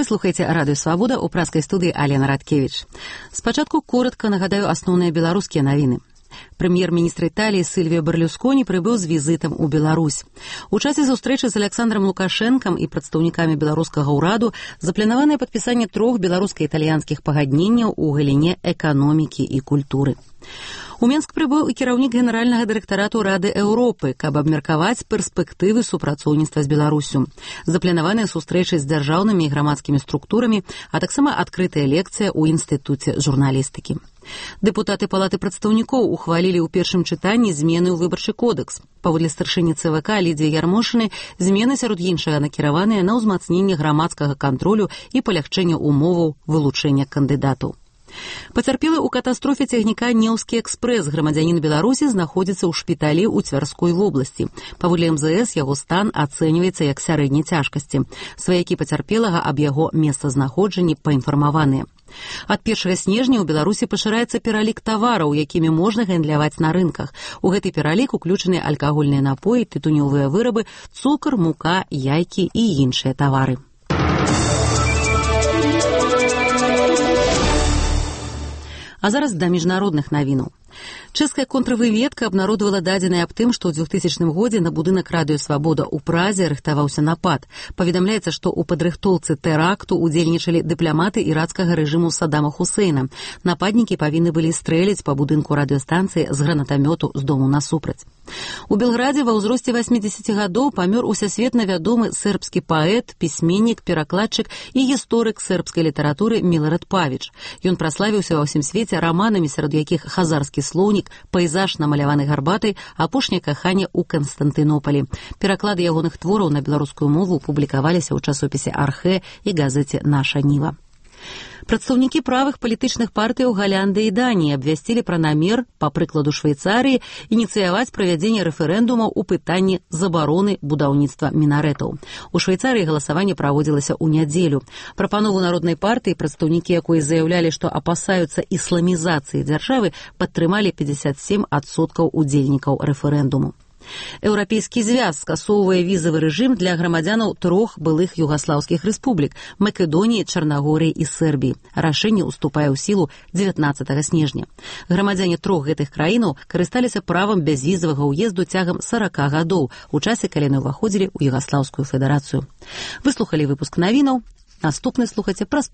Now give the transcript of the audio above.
слухаеце Радыё Свабода, у праскай студыі Алена Радкевіч. Спачатку коротка нагадаю асноўныя беларускія навіны. Прэм'ер-міністр Італіі Сільвіо Берлюсконі прыбыў з візітам у Беларусь. У часе сустрэчы з Александром Лукашэнкам і прадстаўнікамі беларускага ўраду запланаванае падпісанне 3 беларуска-італьянскіх пагадненняў у галіне эканомікі і культуры. У Менск прыбыў і кіраўнік генеральнага дырэктарату Рады Еўропы, каб абмеркаваць перспектывы супрацоўніцтва з Беларусю. Запланаваныя сустрэчы з дзяржаўнымі і грамадскімі структурамі, а таксама адкрытая лекцыя ў інстытуце журналістыкі. Дэпутаты Палаты прадстаўнікоў ухвалілі ў першым чытанні змены ў выбарчы кодекс. Паводле старшыні ЦВК Лідзіі Ярмошыны, змены сярод іншага накіраваныя на ўзмацненне грамадскага кантролю і палягчэнне умоваў вылучэння кандыдатаў. Пацярпелы ў катастрофе цягніка «Неўскі экспрэс» грамадзянін Беларусі знаходзіцца ў шпіталі ў Цвярской вобласці. Паводле МЗС яго стан ацэньваецца як сярэдняй цяжкасці. Сваякі пацярпелага аб яго месцазнаходжанні паінфармаваныя. Ад 1 снежня ў Беларусі пашыраецца пералік тавараў, якімі можна гандляваць на рынках. У гэты пералік уключаны алкагольныя напоі, тытунёвыя вырабы, цукар, мука, яйкі і іншыя тавары. А зараз да міжнародных навінаў. Чэшская контрвыведка абнародавала дадзеныя аб тым, што ў 2000 годзе на будынак Радыё Свабода ў Празе рыхтаваўся напад. Паведамляецца, што ў падрыхтоўцы тэракту удзельнічалі дыпламаты ірацкага рэжыму Саддама Хусейна. Нападнікі павінны былі стрэліць па будынку радыёстанцыі з гранатамёту з дому насупраць. У Белградзе ва ўзросце 80 гадоў памёр усесветна вядомы сербскі паэт, пісьменнік, перакладчык і гісторык сербскай літаратуры Милорад Павіч. Ён праславіўся ва ўсім свеце раманамі, сярод якіх «Хазарскі слоўнік», «Пейзаж, намаляваны гарбатай», «Апошняе каханне ў Канстантынополі». Пераклады ягоных твораў на беларускую мову публікаваліся ў часопісе «Архэ» і газеце «Наша Ніва». Прадстаўнікі правых палітычных партыяў Галландыі і Даніі абвясцілі пра намер, па прыкладу Швейцарыі, ініцыяваць правядзенне рэферэндумаў у пытанні забароны будаўніцтва мінарэтаў. У Швейцарыі галасаванне праводзілася ў нядзелю. Прапанову народнай партыі, прадстаўнікі якой заяўлялі, што апасаюцца ісламізацыі дзяржавы, падтрымалі 57% удзельнікаў рэферэндуму. Еўрапейскі звяз скасоўвае візавы рэжым для грамадзянаў 3 былых югаслаўскіх рэспублік – Македоніі, Чарнагорыі і Сербіі. Рашэнне ўступае ў сілу 19 снежня. Грамадзяне 3 гэтых краінаў карысталіся правам бязвізавага ўезду цягам 40 гадоў, у часе, калі яны ўваходзілі ў Югаслаўскую федэрацыю. Выслухалі выпуск навінаў. Наступны слухайце праз